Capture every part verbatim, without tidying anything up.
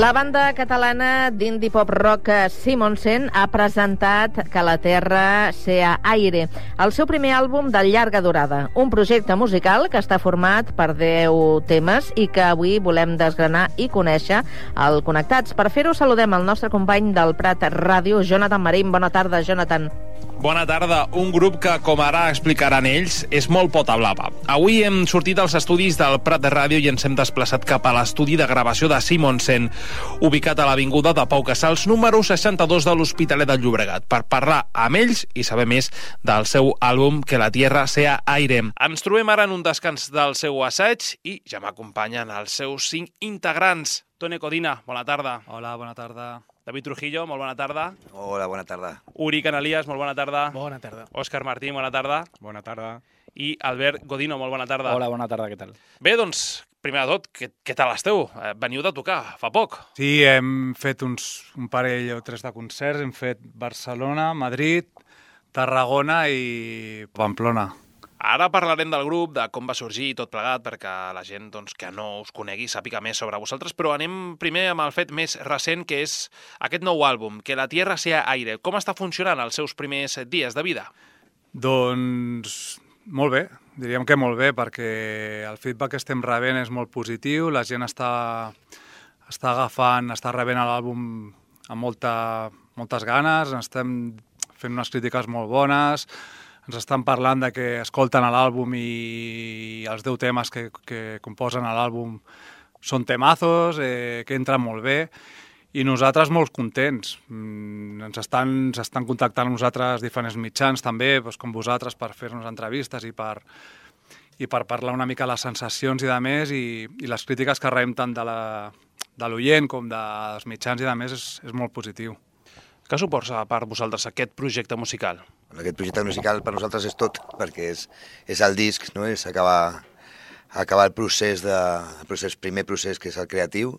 La banda catalana d'indie pop rock Simonsen ha presentat Que la Terra sea aire, el seu primer àlbum de llarga durada, un projecte musical que està format per deu temes i que avui volem desgranar i conèixer al Connectats. Per fer-ho saludem el nostre company del Prat Ràdio, Jonathan Marín. Bona tarda, Jonathan. Bona tarda. Un grup que, com ara explicaran ells, és molt pota blava. Avui hem sortit als estudis del Prat de Ràdio i ens hem desplaçat cap a l'estudi de gravació de Simonsen, ubicat a l'avinguda de Pau Casals, número seixanta-dos de l'Hospitalet del Llobregat, per parlar amb ells i saber més del seu àlbum Que la Tierra sea aire. Ens trobem ara en un descans del seu assaig i ja m'acompanyen els seus cinc integrants. Toni Codina, bona tarda. Hola, bona tarda. David Trujillo, molt bona tarda. Hola, bona tarda. Uri Canalias, molt bona tarda. Bona tarda. Òscar Martín, bona tarda. Bona tarda. I Albert Godino, molt bona tarda. Hola, bona tarda, què tal? Bé, doncs, primer de tot, què, què tal esteu? Eh, veniu de tocar fa poc. Sí, hem fet uns, un parell o tres de concerts, hem fet Barcelona, Madrid, Tarragona i Pamplona. Ara parlarem del grup, de com va sorgir tot plegat, perquè la gent doncs, que no us conegui sàpiga més sobre vosaltres, però anem primer amb el fet més recent, que és aquest nou àlbum, Que la Tierra sea aire. Com està funcionant els seus primers dies de vida? Doncs molt bé, diríem que molt bé, perquè el feedback que estem rebent és molt positiu, la gent està, està agafant, està rebent l'àlbum amb molta, moltes ganes, estem fent unes crítiques molt bones, ens estan parlant de que escolten l'àlbum i els deu temes que, que composen l'àlbum són temazos, eh, que entren molt bé, i nosaltres molt contents. Mm, ens estan, ens estan contactant amb nosaltres diferents mitjans també, doncs, com vosaltres, per fer-nos entrevistes i per, i per parlar una mica de les sensacions i de més, i, i les crítiques que rebem tant de la, de l'oient com dels mitjans i de més és, és molt positiu. Què suposa per vosaltres aquest projecte musical? Aquest projecte musical per nosaltres és tot, perquè és, és el disc, no? És acabar, acabar el procés, de, el procés, primer procés que és el creatiu,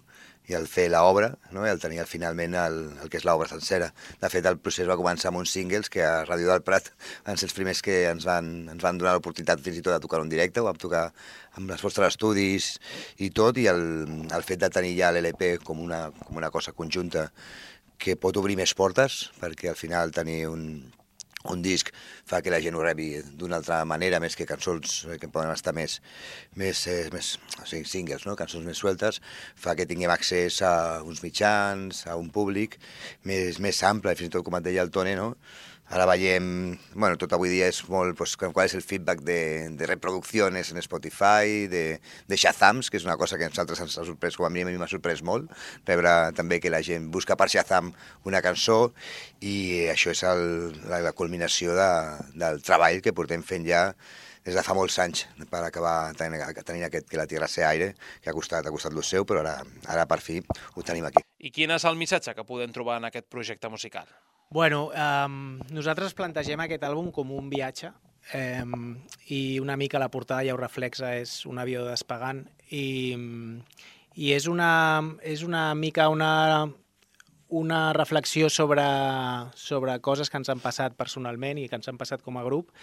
i el fer l'obra, no? I el tenir finalment el, el que és l'obra sencera. De fet, el procés va començar amb uns singles que a Ràdio del Prat van ser els primers que ens van, ens van donar l'oportunitat fins i tot de tocar en directe, ho vam tocar amb els vostres estudis i tot, i el, el fet de tenir ja l'L P com una, com una cosa conjunta que pot obrir més portes, perquè al final tenir un, un disc fa que la gent ho rebi d'una altra manera, més que cançons que poden estar més, més, eh, més o sigui, singles, no? Cançons més sueltes, fa que tinguem accés a uns mitjans, a un públic més, més ample, fins i tot com et deia el Toni, no? Ara veiem, bueno, tot avui dia és molt, pues, qual és el feedback de, de reproduccions en Spotify, de, de Shazams, que és una cosa que a nosaltres ens ha sorprès, com a mi, a mi m'ha sorprès molt, rebre també que la gent busca per Shazam una cançó, i això és el, la, la culminació de, del treball que portem fent ja des de fa molts anys per acabar tenint, tenint aquest Que la Tierra sea aire, que ha costat, ha costat lo seu, però ara, ara per fi ho tenim aquí. I quin és el missatge que podem trobar en aquest projecte musical? Bueno, um, nosaltres plantegem aquest àlbum com un viatge, um, i una mica la portada ja ho reflexa, és un avió despegant, i, i és, una, és una mica una, una reflexió sobre, sobre coses que ens han passat personalment i que ens han passat com a grup,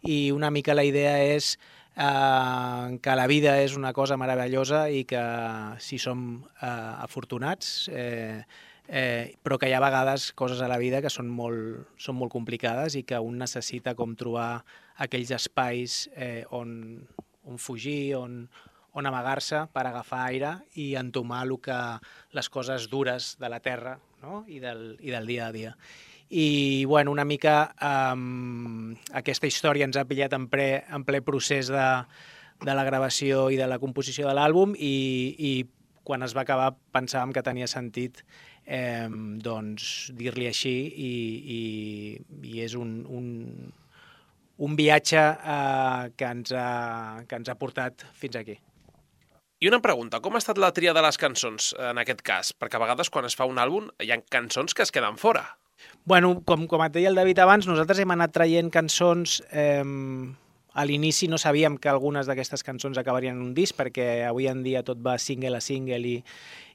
i una mica la idea és uh, que la vida és una cosa meravellosa i que si som uh, afortunats, eh, Eh, però que hi ha a vegades coses a la vida que són molt, són molt complicades i que un necessita com trobar aquells espais eh, on, on fugir, on, on amagar-se per agafar aire i entomar el que, les coses dures de la terra, no? I, del, i del dia a dia. I bueno, una mica um, aquesta història ens ha pillat en, pre, en ple procés de, de la gravació i de la composició de l'àlbum, i, i quan es va acabar pensàvem que tenia sentit Eh, doncs dir-li així, i, i, i és un, un, un viatge eh, que, ens ha, que ens ha portat fins aquí. I una pregunta, com ha estat la tria de les cançons en aquest cas? Perquè a vegades quan es fa un àlbum hi ha cançons que es queden fora. Bueno, com, com et deia el David abans, nosaltres hem anat traient cançons eh, a l'inici no sabíem que algunes d'aquestes cançons acabarien en un disc, perquè avui en dia tot va single a single i,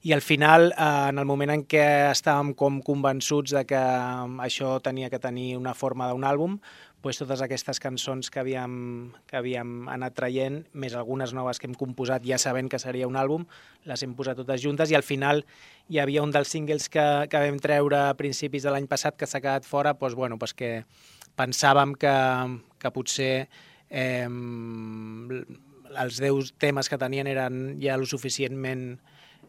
i al final, eh, en el moment en què estàvem com convençuts de que això tenia que tenir una forma d'un àlbum, doncs totes aquestes cançons que havíem, que havíem anat traient, més algunes noves que hem composat ja sabent que seria un àlbum, les hem posat totes juntes i al final hi havia un dels singles que, que vam treure a principis de l'any passat que s'ha quedat fora, doncs, bueno, doncs que pensàvem que, que potser eh, els deu temes que tenien eren ja lo suficientment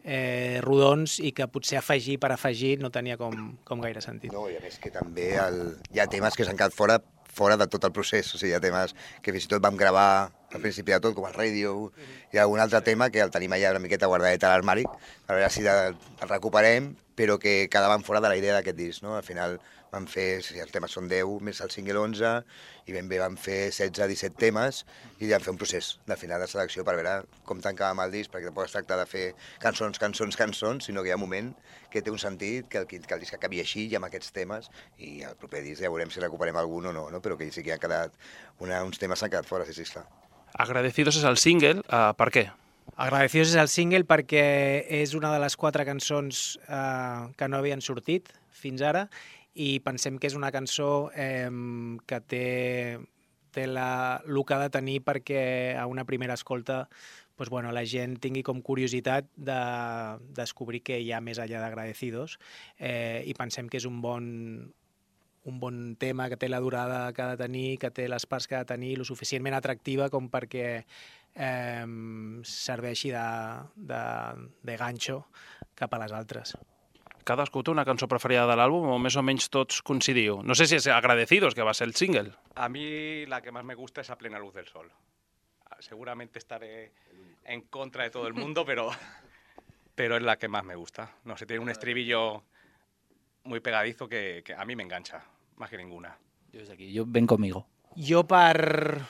eh, rodons i que potser afegir per afegir no tenia com, com gaire sentit. No, i a més que també el... hi ha temes que s'han quedat fora fora de tot el procés, o sigui, hi ha temes que fins i tot vam gravar al principi de tot, com el Radio, hi ha algun altre tema que el tenim allà una miqueta guardadet a l'armari, a veure si el recuperem, però que quedaven fora de la idea d'aquest disc, no? Al final vam fer, si els temes són deu, més el single onze, i ben bé vam fer setze a disset temes, i vam fer un procés de final de selecció per veure com tancàvem el disc, perquè tampoc es tracta de fer cançons, cançons, cançons, sinó que hi ha un moment que té un sentit, que el, que el disc acabi així i amb aquests temes, i el proper disc ja veurem si recuperem algun o no, no? Però que sí que ha quedat, una, uns temes s'han quedat fora, sí, sí, clar. Agradecidos és el single, uh, per què? Agradecidos és el single perquè és una de les quatre cançons eh, que no havien sortit fins ara i pensem que és una cançó eh, que té, té la, el que ha de tenir perquè a una primera escolta pues, bueno, la gent tingui com curiositat de descobrir que hi ha més allà d'Agradecidos eh, i pensem que és un bon, un bon tema, que té la durada que ha de tenir, que té les parts que ha de tenir, lo suficientment atractiva com perquè eh, serveixi de, de, de ganxo cap a les altres. Cadascú té una cançó preferida de l'àlbum o més o menys tots coincidiu? No sé si és Agradecidos, que va ser el single. A mí la que más me gusta es A plena luz del sol. Seguramente estaré en contra de todo el mundo, pero, pero es la que más me gusta. No sé, tiene un estribillo muy pegadizo que, que a mí me engancha, más que ninguna. Jo des d'aquí, jo ven conmigo. Jo per,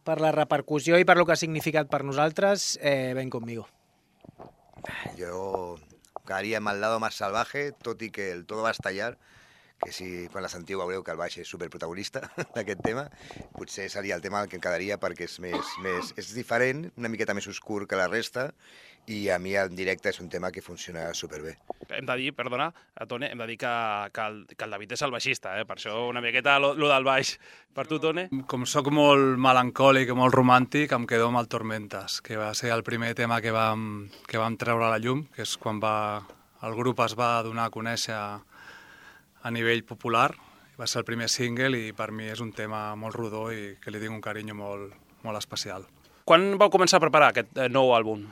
per la repercussió i per lo que ha significat per nosaltres, eh, ven conmigo. Jo quedaria amb el lado más salvaje, tot i que el todo va estallar, que si quan la sentiu veureu que el baix és superprotagonista d'aquest tema, potser seria el tema el que em quedaria perquè és, més, més, és diferent, una miqueta més oscur que la resta, i a mi en directe és un tema que funciona superbé. Hem de dir, perdona, Tone, hem de dir que, que, el, que el David és el baixista, eh? Per això una miqueta lo, lo del baix. Per tu, Tone? Com sóc molt melancòlic i molt romàntic, em quedo amb el Tormentas, que va ser el primer tema que vam, que vam treure a la llum, que és quan va, el grup es va donar a conèixer a nivell popular. Va ser el primer single i per mi és un tema molt rodó i que li tinc un carinyo molt, molt especial. Quan vau començar a preparar aquest nou àlbum?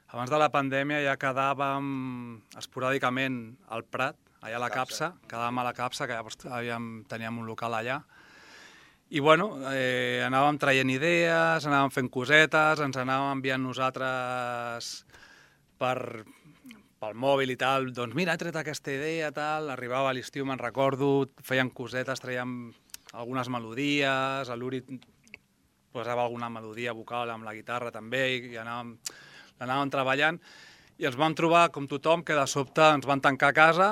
Abans de la pandèmia ja quedàvem esporàdicament al Prat, allà a la Capsa, quedàvem a la Capsa, que llavors havíem, teníem un local allà. I bueno, eh, anàvem traient idees, anàvem fent cosetes, ens anàvem enviant nosaltres per, pel mòbil i tal, doncs mira, he tret aquesta idea, tal, arribava a l'estiu, me'n recordo, feien cosetes, traiem algunes melodies, l'Uri posava alguna melodia vocal amb la guitarra també, i anàvem... anàvem treballant i ens vam trobar, com tothom, que de sobte ens van tancar a casa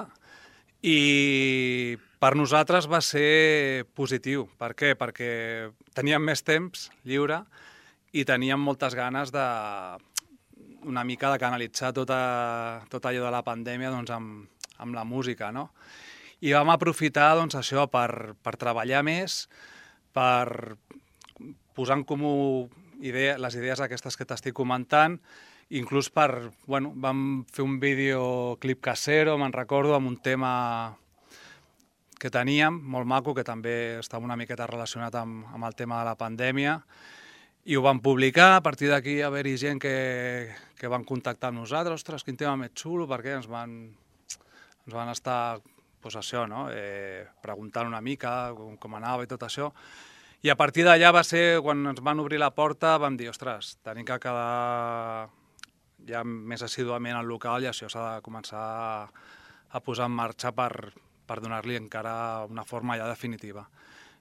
i per nosaltres va ser positiu. Per què? Perquè teníem més temps lliure i teníem moltes ganes de una mica de canalitzar tota, tot allò de la pandèmia doncs, amb, amb la música, no? I vam aprofitar doncs, això per, per treballar més, per posar en comú idea, les idees aquestes que t'estic comentant, inclús per, bueno, vam fer un videoclip casero, me'n recordo, amb un tema que teníem, molt maco, que també estava una miqueta relacionat amb, amb el tema de la pandèmia, i ho vam publicar. A partir d'aquí va haver-hi gent que, que van contactar amb nosaltres, ostres, quin tema més xulo, perquè ens van, ens van estar, doncs això, no? eh, preguntant una mica com, com anava i tot això. I a partir d'allà va ser, quan ens van obrir la porta, vam dir, ostres, tenim que quedar ja més assiduament al local i això s'ha de començar a, a posar en marxa per, per donar-li encara una forma ja definitiva.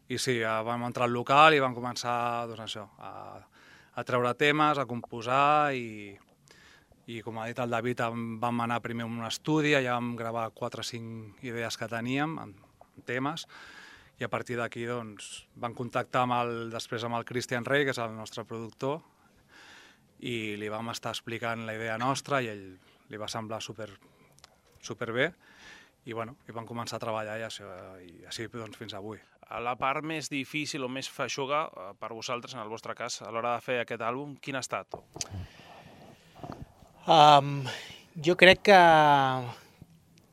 I sí, ja vam entrar al local i vam començar doncs això, a, a treure temes, a composar i, i com ha dit el David, vam anar primer a un estudi, allà vam gravar quatre o cinc idees que teníem, en, en temes, i a partir d'aquí doncs, van contactar amb el, després amb el Christian Rey, que és el nostre productor, i li vam estar explicant la idea nostra i ell li va semblar super, super bé, i, bueno, i vam començar a treballar i així, i així doncs, fins avui. La part més difícil o més feixuga per vosaltres, en el vostre cas, a l'hora de fer aquest àlbum, quin ha estat? Um, jo crec que,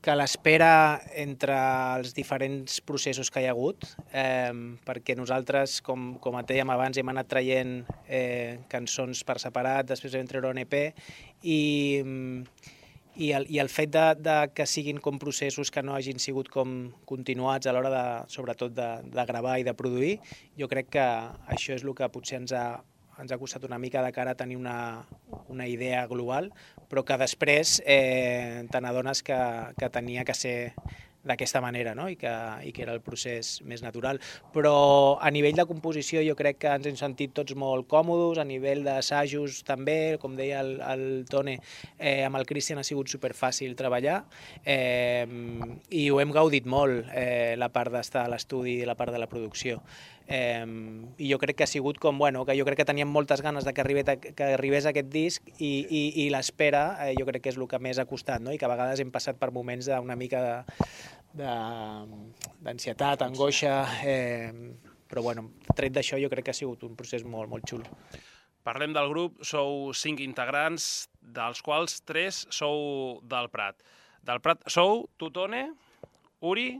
que l'espera entre els diferents processos que hi ha hagut, eh, perquè nosaltres, com, com et dèiem abans, hem anat traient eh, cançons per separat, després vam treure un E P, i... I el, i el fet de, de que siguin com processos que no hagin sigut com continuats a l'hora de, sobretot de, de gravar i de produir, jo crec que això és el que potser ens ha, ens ha costat una mica de cara a tenir una, una idea global, però que després eh, te n'adones que, que tenia que ser d'aquesta manera, no? I, que, i que era el procés més natural. Però a nivell de composició jo crec que ens hem sentit tots molt còmodes, a nivell d'assajos també, com deia el, el Tone, eh, amb el Christian ha sigut superfàcil treballar, eh, i ho hem gaudit molt, eh, la part d'estar a l'estudi i la part de la producció. Eh, I jo crec que ha sigut com, bueno, que jo crec que teníem moltes ganes de que arribés, que arribés aquest disc i, i, i l'espera eh, jo crec que és el que més ha costat, no? I que a vegades hem passat per moments d'una mica d'ansietat, angoixa, eh, però bueno, tret d'això jo crec que ha sigut un procés molt, molt xulo. Parlem del grup, sou cinc integrants, dels quals tres sou del Prat. Del Prat sou tu, Tone, Uri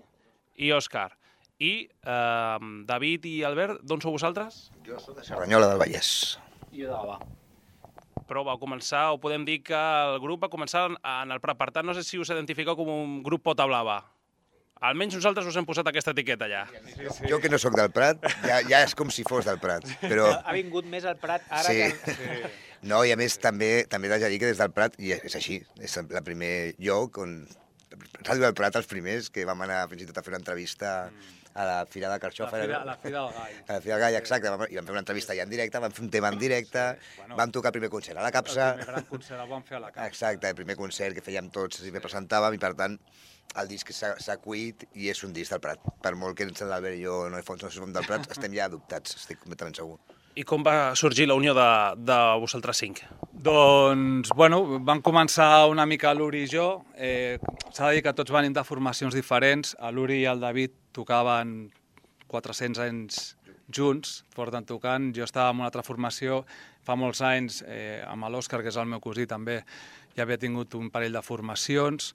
i Òscar. I eh, David i Albert, d'on sou vosaltres? Jo soc de Cerdanyola del Vallès. I jo de Gavà. Però vau començar, o podem dir que el grup va començar en el Prat. Per tant, no sé si us identifiqueu com un grup pota blava. Almenys nosaltres us hem posat aquesta etiqueta ja. Sí, sí. Jo que no sóc del Prat, ja, ja és com si fos del Prat. Però... Ha vingut més al Prat ara sí. que... Sí. No, i a més també també t'haig de dir que des del Prat, i és així, és el primer lloc on... Ràdio del Prat, els primers, que vam anar fins i tot a fer una entrevista a la Fira de Carxofa. A la Fira, a la Fira del Gall. A la Fira del Gall, exacte. Vam, I vam fer una entrevista ja en directe, vam fer un tema en directe, sí, bueno, vam tocar el primer concert a la Capsa. El primer gran concert el vam fer a la Capsa. Exacte, el primer concert que fèiem tots i que presentàvem, i per tant el disc s'ha cuit i és un disc del Prat. Per molt que l'Albert i jo no som del Prat, estem ja adoptats, estic completament segur. I com va sorgir la unió de, de vosaltres cinc? Doncs, bueno, vam començar una mica l'Uri i jo. Eh, S'ha de dir que tots venim de formacions diferents. L'Uri i el David tocaven quatre-cents anys junts, porten tocant. Jo estava en una altra formació fa molts anys, eh, amb l'Òscar, que és el meu cosí també, ja havia tingut un parell de formacions.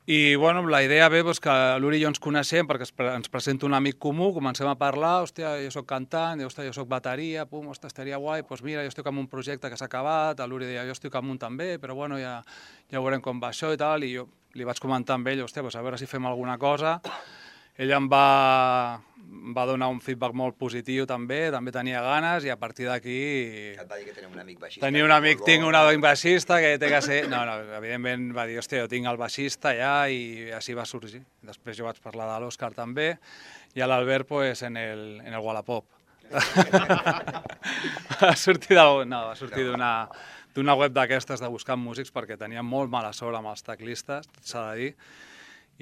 I bueno, la idea ve doncs, que l'Uri i jo ens coneixem perquè ens presenta un amic comú, comencem a parlar, hòstia, jo soc cantant, hòstia, jo soc bateria, pum, hòstia, estaria guai, doncs mira, jo estic en un projecte que s'ha acabat, l'Uri deia, jo estic en un també, però bueno, ja, ja veurem com va això i tal, i jo li vaig comentar amb ell, hòstia, doncs a veure si fem alguna cosa. Ell em va, va donar un feedback molt positiu també, també tenia ganes i a partir d'aquí... Et va dir que tenia un amic baixista. Tenia un amic, tinc un amic baixista que té que ser... No, no, evidentment va dir, hòstia, jo tinc el baixista ja i així va sorgir. Després jo vaig parlar de l'Òscar també i a l'Albert pues, en el, en el Wallapop. Va sortir d'una no, web d'aquestes de buscar músics perquè tenia molt mala sort amb els teclistes, s'ha de dir,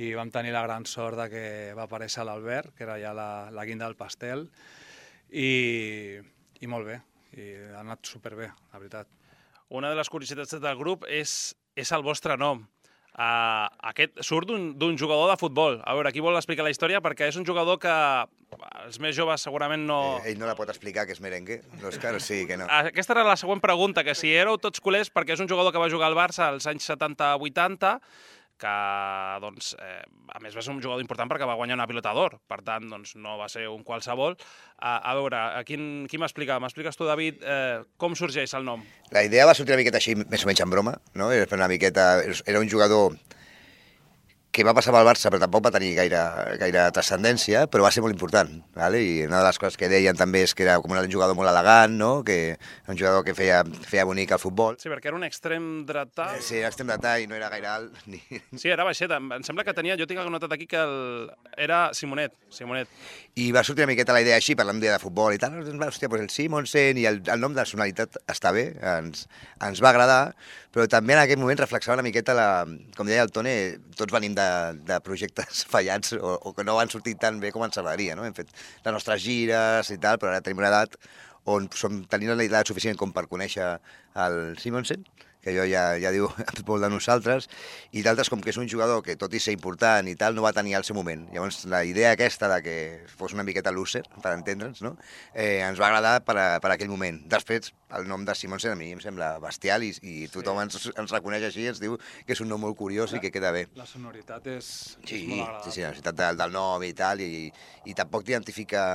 i vam tenir la gran sort de que va aparèixer l'Albert, que era ja la, la guinda del pastel, i, i molt bé, i ha anat superbé, la veritat. Una de les curiositats del grup és, és el vostre nom. Uh, aquest surt d'un jugador de futbol. A veure, qui vol explicar la història? Perquè és un jugador que els més joves segurament no... Eh, ell no la pot explicar, que és merengue. L'Òscar sí que no. Aquesta era la següent pregunta, que si éreu tots culers, perquè és un jugador que va jugar al Barça als anys setanta vuitanta, que, doncs, eh, a més va ser un jugador important perquè va guanyar una pilota d'or, per tant, doncs, no va ser un qualsevol. A, a veure, a quin, qui m'explica? M'expliques tu, David, eh, com sorgeix el nom? La idea va sortir una miqueta així, més o menys en broma, no? Era una miqueta... Era un jugador que va passar pel Barça, però tampoc va tenir gaire, gaire transcendència, però va ser molt important, ¿vale? I una de les coses que deien també és que era com un jugador molt elegant, no? Que un jugador que feia, feia bonic el futbol. Sí, perquè era un extrem dretà. Sí, era extrem dretà i no era gaire alt. Ni... Sí, era baixet. Em sembla que tenia, jo tinc anotat aquí que el... era Simonet, Simonet. I va sortir una miqueta la idea així, parlant de futbol i tal, hòstia, doncs el Simonsen i el, el nom de nacionalitat està bé, ens, ens va agradar, però també en aquell moment reflexava una miqueta, la, com deia el Toni, tots venim de, de projectes fallats o, o que no van sortir tan bé com ens agradaria, no? Hem fet les nostres gires i tal, però ara tenim una edat on som, tenim l'edat suficient com per conèixer el Simonsen, que jo ja, ja diu molt de nosaltres, i d'altres com que és un jugador que, tot i ser important i tal, no va tenir el seu moment. Llavors, la idea aquesta de que fos una miqueta loser, per entendre'ns, no? eh, ens va agradar per, a, per aquell moment. Després, el nom de Simonsen a mi em sembla bestial i, i tothom ens, ens reconeix així i ens diu que és un nom molt curiós i que queda bé. La sonoritat és, sí, és molt agradable. Sí, sí, la sonoritat del, del nom i tal, i, i tampoc t'identifica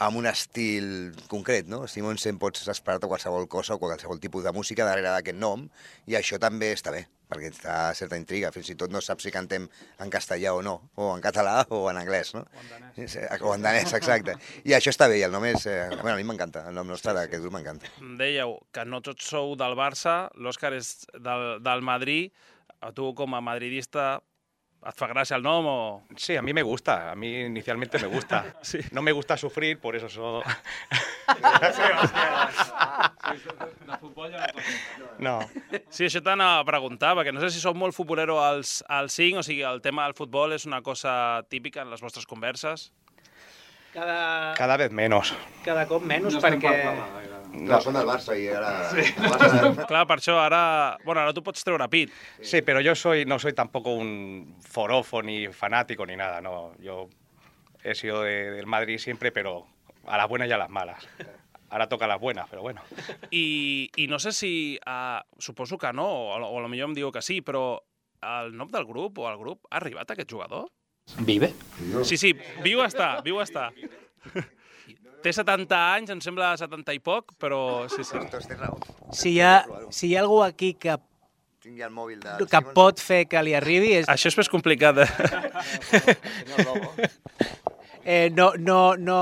amb un estil concret, no? Simonsen pots esperar-te qualsevol cosa o qualsevol tipus de música darrere d'aquest nom, i això també està bé, perquè està certa intriga, fins i tot no saps si cantem en castellà o no, o en català o en anglès, no? O en danès. O en danès, exacte. I això està bé, i el nom és... Eh, bueno, a mi m'encanta, el nom nostre d'aquest grup m'encanta. Dèieu que no tots sou del Barça, l'Òscar és del, del Madrid, a tu com a madridista ¿et fa gràcia el nom o...? Sí, a mí me gusta, a mí inicialmente me gusta. Sí. No me gusta sufrir, por eso so... No. Sí, això t'anava a preguntar, perquè no sé si sou molt futbolero als, als cinc, o sigui, el tema del futbol és una cosa típica en les vostres converses. Cada, Cada vez menos. cada cop menys, perquè... No, són del Barça i ara... Sí. Barça... Clar, per això ara... Bueno, ara tu pots treure pit. Sí, pero yo soy no soy tampoco un forofo ni fanático ni nada, no. Yo he sido de, del Madrid siempre, pero a las buenas y a las malas. Ara toca les buenas, però bueno. I, i no sé si... Uh, suposo que no, o, o potser em diu que sí, però el nom del grup o el grup ha arribat a aquest jugador? Vive? Sí, sí, viu està, viu està. Té setanta anys, em sembla setanta i poc, però sí, sí. Tots tens raó. Si hi ha, si hi ha algú aquí que, Tingui el mòbil de... que pot fer que li arribi... És... Això és més complicat. Eh, no, no, no,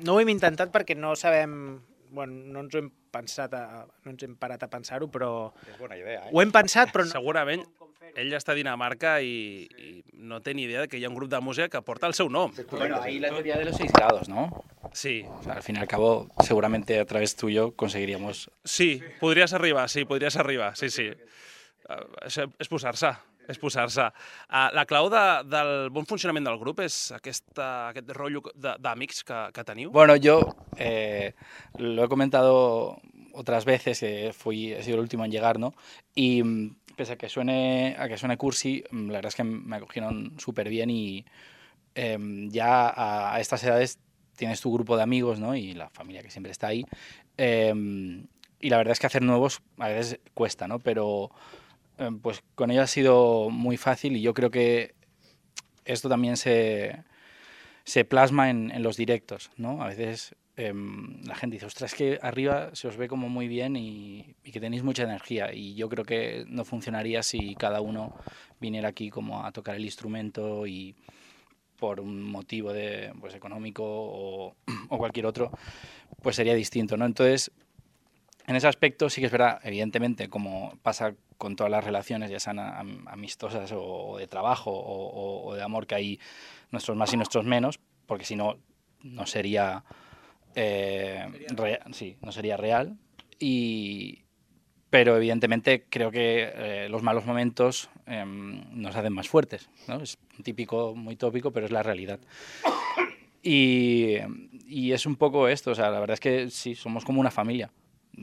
no ho hem intentat perquè no sabem... Bueno, no ens ho hem pensat, a, no ens hem parat a pensar-ho, però... És bona idea, eh? Ho hem pensat, però no... Segurament ell està a Dinamarca i, i no té ni idea que hi ha un grup de música que porta el seu nom. Bueno, ahí la teoría de los seis grados, ¿no? Sí, O sea, al fin y al cabo, seguramente a través tuyo conseguiríamos... sí, podries arribar, sí, podries arribar, sí, sí. Uh, això és posar-se, és posar-se. Uh, la clau de, del bon funcionament del grup és aquesta, aquest rotllo de- d'amics que, que teniu? Bueno, yo eh, lo he comentado otras veces, que fui, he sido el último en llegar, ¿no? Y mm, pese a que suene, a que suene cursi, mm, la verdad es que me acogieron súper bien y em, ya a, a estas edades tienes tu grupo de amigos, ¿no? Y la familia que siempre está ahí. Em, y la verdad es que hacer nuevos a veces cuesta, ¿no? Pero em, pues con ello ha sido muy fácil y yo creo que esto también se, se plasma en, en los directos, ¿no? A veces em, la gente dice, ostras, es que arriba se os ve como muy bien y, y que tenéis mucha energía. Y yo creo que no funcionaría si cada uno viniera aquí como a tocar el instrumento y por un motivo de, pues, económico o, o cualquier otro, pues sería distinto, ¿no? Entonces, en ese aspecto sí que es verdad, evidentemente, como pasa con todas las relaciones, ya sean am- amistosas o, o de trabajo o, o- o de amor, que hay nuestros más y nuestros menos, porque si no, no sería, eh, rea- sí, no sería real. Y, pero evidentemente creo que eh, los malos momentos eh, nos hacen más fuertes, ¿no? Es un típico, muy tópico, pero es la realidad. Y, y es un poco esto, o sea, la verdad es que sí, somos como una familia.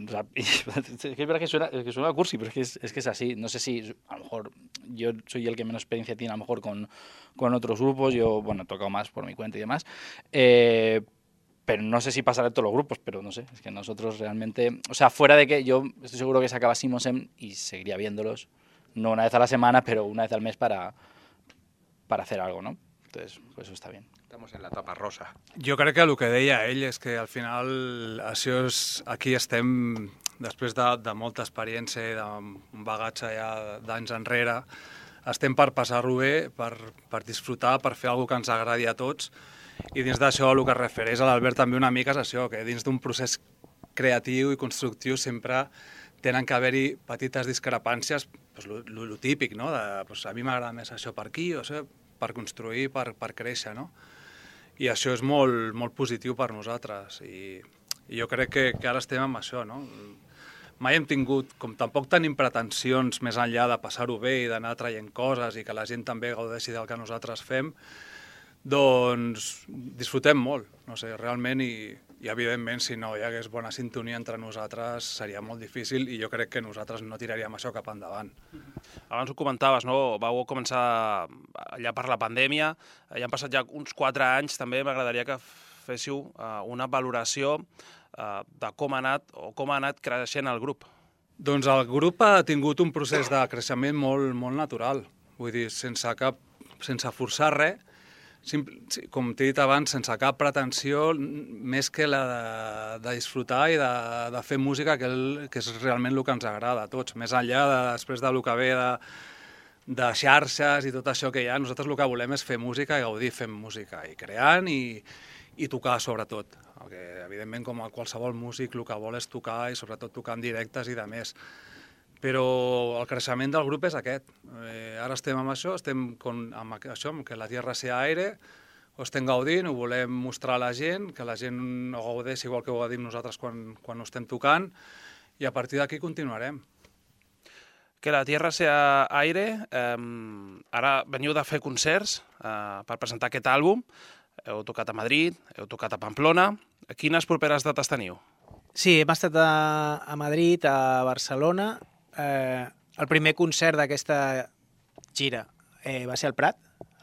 O sea, es que es verdad que suena, que suena cursi, pero es que es, es que es así. No sé si, a lo mejor, yo soy el que menos experiencia tiene, a lo mejor, con, con otros grupos. Yo, bueno, he tocado más por mi cuenta y demás. Eh, pero no sé si pasará en todos los grupos, pero no sé. Es que nosotros realmente... O sea, fuera de que yo estoy seguro que se acaba Simonsen y seguiría viéndolos, no una vez a la semana, pero una vez al mes para, para hacer algo, ¿no? Entonces, pues eso está bien. Estamos en la etapa rosa. Jo crec que el que deia ell és que al final això és, aquí estem després de, de molta experiència i d'un bagatge ja d'anys enrere, estem per passar-ho bé, per, per disfrutar, per fer alguna que ens agradi a tots, i dins d'això el que es refereix a l'Albert també una mica és això, que dins d'un procés creatiu i constructiu sempre tenen que haver-hi petites discrepàncies, doncs, lo, lo, lo típic, no? De, doncs, a mi m'agrada més això per aquí, o això per construir, per, per créixer, no? I això és molt, molt positiu per nosaltres i, i jo crec que, que ara estem amb això, no? mai hem tingut, com tampoc tenim pretensions més enllà de passar-ho bé i d'anar traient coses i que la gent també gaudeixi del que nosaltres fem, doncs disfrutem molt, no sé, realment, i, i evidentment si no hi hagués bona sintonia entre nosaltres seria molt difícil i jo crec que nosaltres no tiraríem això cap endavant. Abans ho comentaves, no? Vau començar allà per la pandèmia, ja han passat ja uns quatre anys, també m'agradaria que féssiu uh, una valoració uh, de com ha anat o com ha anat creixent el grup. Doncs el grup ha tingut un procés de creixement molt, molt natural, vull dir, sense cap, sense forçar res, com t'he dit abans, sense cap pretensió, més que la de, de disfrutar i de, de fer música, que, el, que és realment el que ens agrada a tots. Més enllà, de, després del que ve de, de xarxes i tot això que hi ha, nosaltres el que volem és fer música i gaudir fent música, i creant i, i tocar sobretot. El que, evidentment, com a qualsevol músic, el que vol és tocar i sobretot tocar en directes i de més. Però el creixement del grup és aquest. Eh, ara estem amb això, estem con, amb això, amb que la tierra sea aire, ho estem gaudint, ho volem mostrar a la gent, que la gent ho gaudeix igual que ho gaudim nosaltres quan, quan ho estem tocant, i a partir d'aquí continuarem. Que la tierra sea aire, eh, ara veniu de fer concerts eh, per presentar aquest àlbum, heu tocat a Madrid, heu tocat a Pamplona, quines properes dates teniu? Sí, hem estat a, a Madrid, a Barcelona. Eh, el primer concert d'aquesta gira eh, va ser al Prat,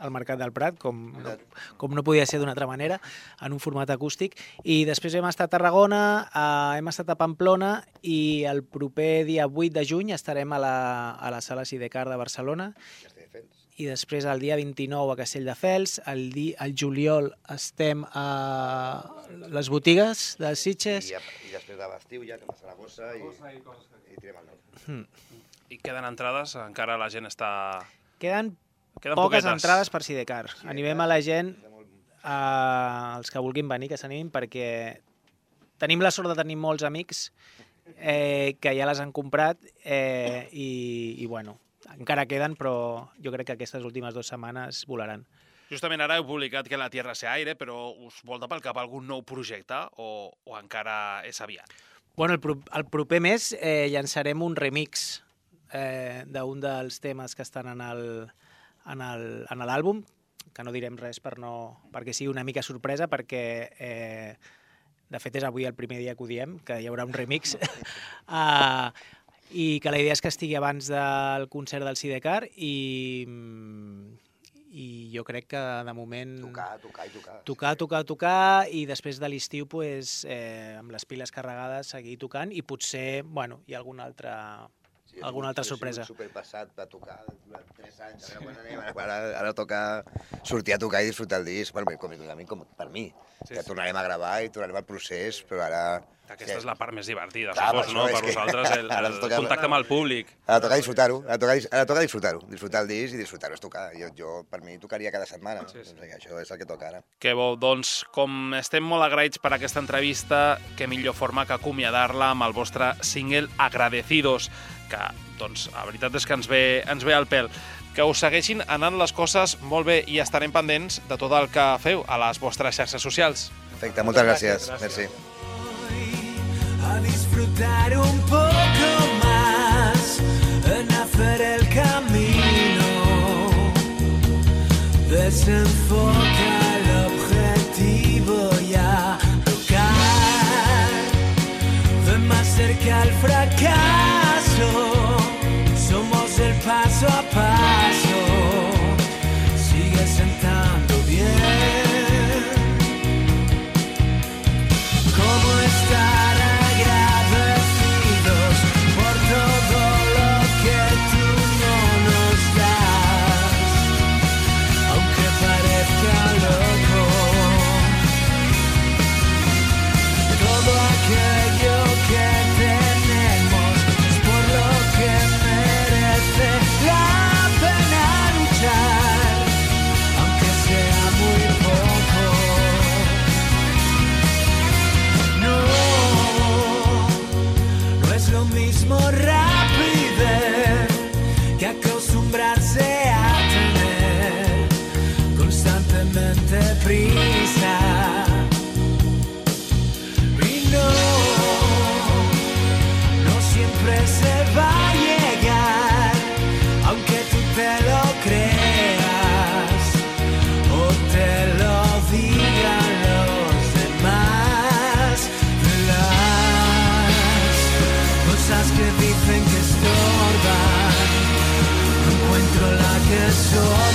al Mercat del Prat, com no, com no podia ser d'una altra manera, en un format acústic. I després hem estat a Tarragona, eh, hem estat a Pamplona i el proper dia vuit de juny estarem a la, a la Sala Sidecar de Barcelona. I després el dia vint-i-nou a Castelldefels, el, di, el juliol estem a les botigues de Sitges. I, i després de l'estiu ja que passa la gossa i, i tirem al nord. Hmm. I queden entrades? Encara la gent està... Queden, queden poques poquetes. entrades per Sidecar. Animem a la gent, a, els que vulguin venir, que s'animin, perquè tenim la sort de tenir molts amics eh, que ja les han comprat eh, i, i bueno... Encara queden, però jo crec que aquestes últimes dues setmanes volaran. Justament ara heu publicat que la Tierra sea aire, però us volta pel cap algun nou projecte o, o encara és aviat? Bueno, el, pro el proper mes eh, llançarem un remix eh, d'un dels temes que estan en l'àlbum, que no direm res per no, perquè sigui una mica sorpresa, perquè eh, de fet és avui el primer dia que ho diem, que hi haurà un remix. uh, i que la idea és que estigui abans del concert del Sidecar i, i jo crec que de moment... Tocar, tocar i tocar. Tocar, tocar, tocar i després de l'estiu, pues, eh, amb les piles carregades, seguir tocant i potser, bueno, hi ha alguna altra, sí, alguna altra sorpresa. Sí, superpassat per tocar durant tres anys, a veure quan anem, ara, ara toca sortir a tocar i disfrutar el disc, bueno, com, com per mi. Sí, ja tornarem a gravar i tornarem al procés, però ara... Aquesta és la part més divertida, Clar, supos, no? Per vosaltres, el, el toca... contacte amb el públic. Ara toca disfrutar-ho, ara toca, ara toca disfrutar-ho, disfrutar el disc i disfrutar-ho és tocar. Jo, jo, per mi, tocaria cada setmana, no? Sí, sí. Doncs això és el que toca ara. Que bo, doncs, com estem molt agraïts per aquesta entrevista, que millor forma que acomiadar-la amb el vostre single Agradecidos, que, doncs, la veritat és que ens ve, ens ve al pèl. Que us segueixin anant les coses molt bé i estarem pendents de tot el que feu a les vostres xarxes socials. Perfecte, moltes gràcies. gràcies. Merci. A disfrutar un poco más, en hacer el camino, desenfoca el objetivo y a tocar, ven más cerca al fracaso, somos el paso a paso, sigue sentando bien, ¿cómo estar agradecidos por todo lo que tú no nos das, aunque parezca loco, todo aquello que tenemos sol.